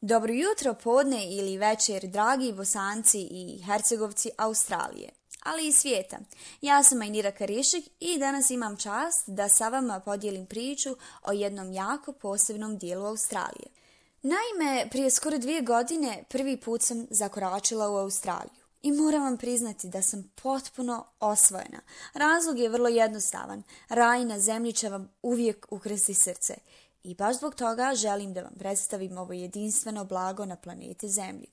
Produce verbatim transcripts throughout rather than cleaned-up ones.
Dobro jutro, podne ili večer, dragi Bosanci i Hercegovci Australije, ali i svijeta. Ja sam Majnira Karišik i danas imam čast da sa vama podijelim priču o jednom jako posebnom dijelu Australije. Naime, prije skoro dvije godine prvi put sam zakoračila u Australiju i moram vam priznati da sam potpuno osvojena. Razlog je vrlo jednostavan. Raj na zemlji će vam uvijek ukrsti srce. I baš zbog toga želim da vam predstavim ovo jedinstveno blago na planeti Zemlji.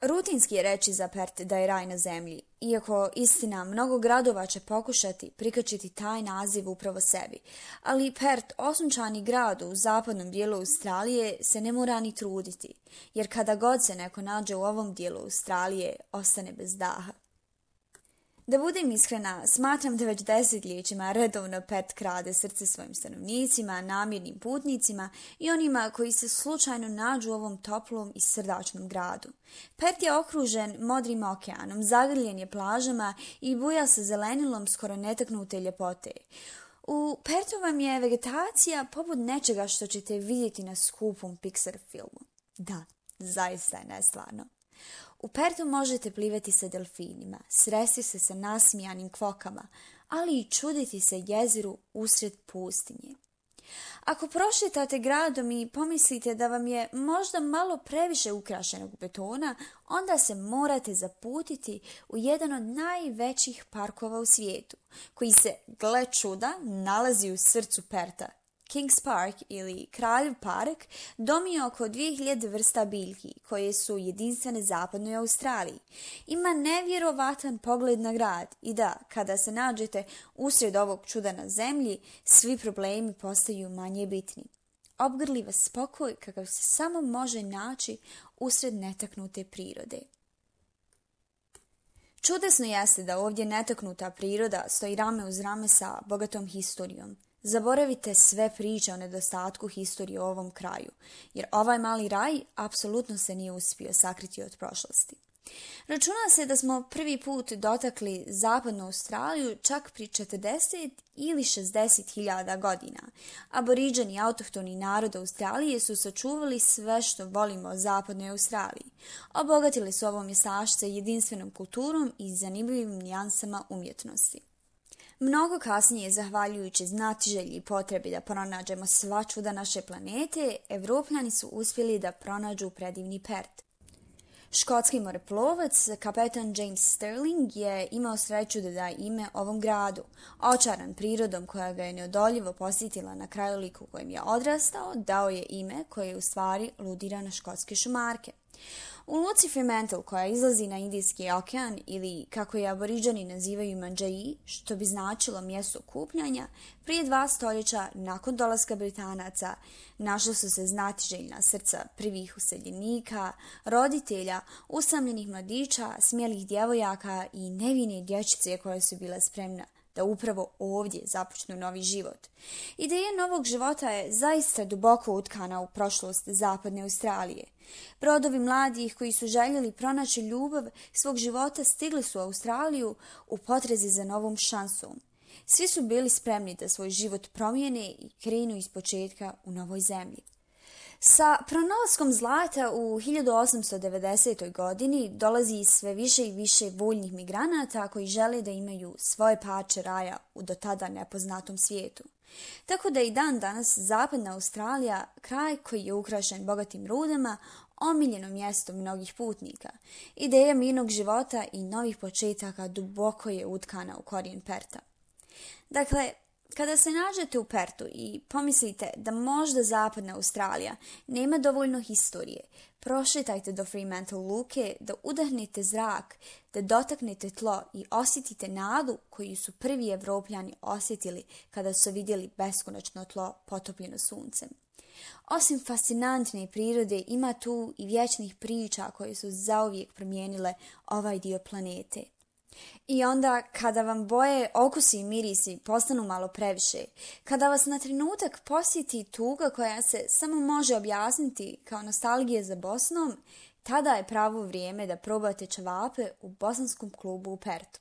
Rutinski je reći za Perth da je raj na zemlji, iako istina mnogo gradova će pokušati prikačiti taj naziv upravo sebi. Ali Perth, osunčani grad u zapadnom dijelu Australije, se ne mora ni truditi, jer kada god se neko nađe u ovom dijelu Australije, ostane bez daha. Da budem iskrena, smatram da već desetljećima redovno Perth krade srce svojim stanovnicima, namirnim putnicima i onima koji se slučajno nađu u ovom toplom i srdačnom gradu. Perth je okružen modrim okeanom, zagrljen je plažama i buja sa zelenilom skoro netaknute ljepote. U Perthu vam je vegetacija poput nečega što ćete vidjeti na skupom Pixar filmu. Da, zaista je nestvarno. U Perthu možete plivati sa delfinima, sresti se sa nasmijanim kvokama, ali i čuditi se jeziru usred pustinje. Ako prošetate gradom i pomislite da vam je možda malo previše ukrašenog betona, onda se morate zaputiti u jedan od najvećih parkova u svijetu, koji se, gle čuda, nalazi u srcu Pertha. Kings Park ili Kraljev park dom je oko dvije hiljade vrsta biljki koje su jedinstvene zapadnoj Australiji. Ima nevjerovatan pogled na grad i da, kada se nađete usred ovog čuda na zemlji, svi problemi postaju manje bitni. Obgrli vas spokoj kakav se samo može naći usred netaknute prirode. Čudesno jeste da ovdje netaknuta priroda stoji rame uz rame sa bogatom historijom. Zaboravite sve priče o nedostatku historije u ovom kraju, jer ovaj mali raj apsolutno se nije uspio sakriti od prošlosti. Računa se da smo prvi put dotakli zapadnu Australiju čak pri četrdeset ili šezdeset hiljada godina. Aboriđeni autohtoni narod Australije su sačuvali sve što volimo o zapadnoj Australiji. Obogatili su ovo mjestašce jedinstvenom kulturom i zanimljivim nijansama umjetnosti. Mnogo kasnije, zahvaljujući znatiželji i potrebi da pronađemo sva čuda naše planete, Evropljani su uspjeli da pronađu predivni Perth. Škotski moreplovac, kapetan James Stirling, je imao sreću da da ime ovom gradu. Očaran prirodom koja ga je neodoljivo posjetila na krajoliku u kojem je odrastao, dao je ime koje je u stvari ludira na škotske šumarke. U luci Fremantle, koja izlazi na Indijski okean ili kako je aboriđani nazivaju Mandžaji, što bi značilo mjesto okupljanja, prije dva stoljeća nakon dolaska Britanaca našla su se znatiželjna srca prvih useljenika, roditelja, usamljenih mladića, smijelih djevojaka i nevine dječice koje su bile spremne da upravo ovdje započnu novi život. Ideja novog života je zaista duboko utkana u prošlost zapadne Australije. Brodovi mladih koji su željeli pronaći ljubav svog života stigli su u Australiju u potrazi za novom šansom. Svi su bili spremni da svoj život promijene i krenu ispočetka u novoj zemlji. Sa pronalaskom zlata u hiljadu osamsto devedesetoj. godini dolazi sve više i više voljnih migranata koji žele da imaju svoje pače raja u do tada nepoznatom svijetu. Tako da i dan danas zapadna Australija, kraj koji je ukrašen bogatim rudama, omiljeno mjesto mnogih putnika. Ideja mirnog života i novih početaka duboko je utkana u korijen Pertha. Dakle, kada se nađete u Perthu i pomislite da možda zapadna Australija nema dovoljno historije, prošetajte do Fremantle luke da udahnete zrak, da dotaknete tlo i osjetite nadu koju su prvi Evropljani osjetili kada su vidjeli beskonačno tlo potopljeno suncem. Osim fascinantne prirode, ima tu i vječnih priča koje su zauvijek promijenile ovaj dio planete. I onda kada vam boje, okusi i mirisi postanu malo previše, kada vas na trenutak posjeti tuga koja se samo može objasniti kao nostalgija za Bosnom, tada je pravo vrijeme da probate ćevape u bosanskom klubu u Perthu.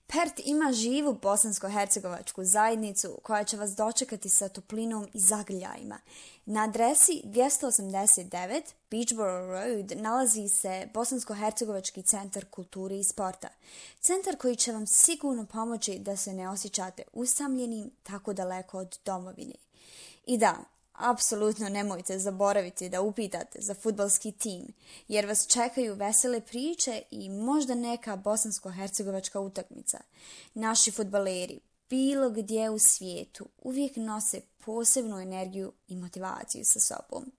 Perth ima živu bosansko-hercegovačku zajednicu koja će vas dočekati sa toplinom i zagrljajima. Na adresi dvjesto osamdeset devet Beachboro Road nalazi se Bosansko-hercegovački centar kulture i sporta. Centar koji će vam sigurno pomoći da se ne osjećate usamljenim tako daleko od domovine. I da, apsolutno nemojte zaboraviti da upitate za fudbalski tim, jer vas čekaju vesele priče i možda neka bosansko-hercegovačka utakmica. Naši fudbaleri, bilo gdje u svijetu, uvijek nose posebnu energiju i motivaciju sa sobom.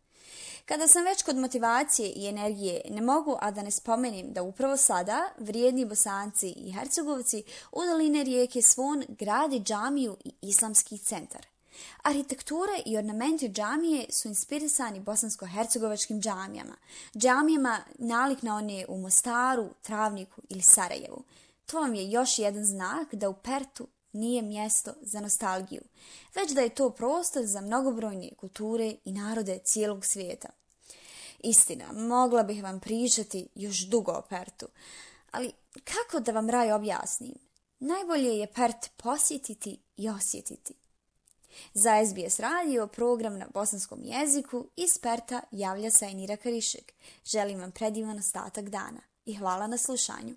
Kada sam već kod motivacije i energije, ne mogu a da ne spomenem da upravo sada vrijedni Bosanci i Hercegovci u doline rijeke Svon grade džamiju i islamski centar. Arhitektura i ornamenti džamije su inspirisani bosansko-hercegovačkim džamijama, džamijama nalik na one u Mostaru, Travniku ili Sarajevu. To vam je još jedan znak da u Perthu nije mjesto za nostalgiju, već da je to prostor za mnogobrojne kulture i narode cijelog svijeta. Istina, mogla bih vam pričati još dugo o Perthu, ali kako da vam raj objasnim? Najbolje je Perth posjetiti i osjetiti. Za S B S radio program na bosanskom jeziku iz Pertha javlja se Enira Karišek. Želim vam predivan ostatak dana i hvala na slušanju.